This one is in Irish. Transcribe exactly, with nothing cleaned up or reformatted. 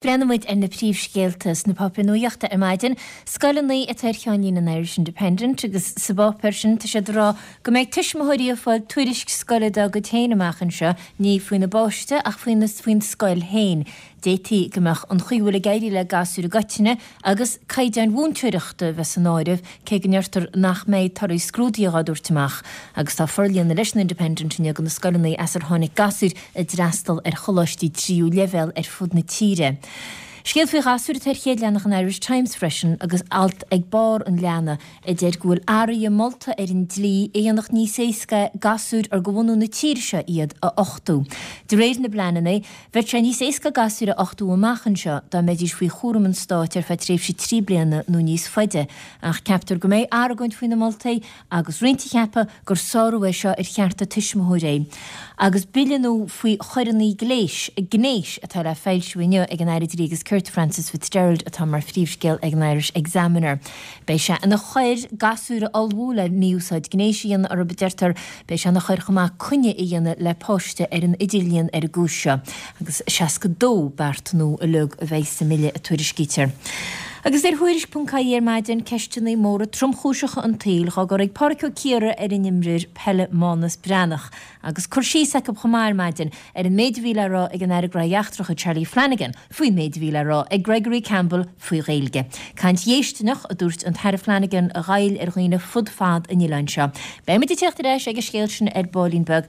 Breathnaíonn muid ar na príomhscéalta sna páipéir nuachta ar maidin. Scoileanna atá ar cheannlíne an Irish Independent agus sa bpáipéar sin tá siad ag rá go mbeidh tuismitheoirí ag fáil tuairisc scoile dá gcuid féin amach anseo, ní faoina bpáiste ach faoina faoin scoil féin. D'fhéadfaí go mbeadh an chaoi a bhfuil ag éirí le gasúir i gcoitinne agus caighdeáin mhúinteoireachta a bheith san áireamh, cé go ndeirtear nach mbeidh torthaí scrúduithe á dtabhairt amach. Agus tá forlíonadh leis an Independent inniu do na scoileanna as ar tháinig gasúir a d'fhreastal ar choláistí tríú leibhéal ar fud na tíre. Scéal faoi ghasúir atá ar chéad leathanach an Irish Times freisin agus alt ag barr an leathanaigh a deir go bhfuil athruithe molta ar an dlí a dhéanfadh níos éasca gasúir ar de bhunadh na tíre seo iad a uchtú. De réir na bpleananna, bheadh sé níos éasca gasúir a uchtú amach anseo dá mbeidís faoi chúram an stáit ar feadh tréimhse trí bliana nó níos faide, ach ceaptar go mbeidh argóint faoi na moltaí agus roinnt ag ceapadh gur sárú é seo ar chearta tuismitheoirí. Agus bille nua faoi choireanna gléis, gnéis atá le foilsiú inniu ag an Aire Dlí agus Cirt Frances Fitzgerald atá mar phríomhscéal ag an Irish Examiner. Beidh sé ina choir gasúir a ullmhú le mí-úsáid gnéis a dhéanamh orthu, a deirtear. Beidh sé ina choir chomh maith coinne a dhéanamh le páiste ar an idirlíon ar an gcúis seo. Agus seasca dó beart nua uilig a bheidh sa mbille, a tuairiscítear. Agus ar Thuairisc ponc ie ar maidin, ceisteanna móra tromchúiseacha an tsaoil dhá gcur ag Pádraic Ó Ciardha ar an imreoir peile Mánas Breathnach agus cur síos acu chomh maith ar maidin ar an méid a bhí le rá ag an Aire Gnóthaí Eachtracha Charlie Flanagan faoin méid a bhí le rá ag Gregory Campbell faoi Ghaeilge. Caint dhéistineach, a dúirt an tAire Flanagan, a ghoill ar dhaoine fud fad an oileáin seo. Beidh muid ag teacht ar ais ag an scéal sin ar baillín beag.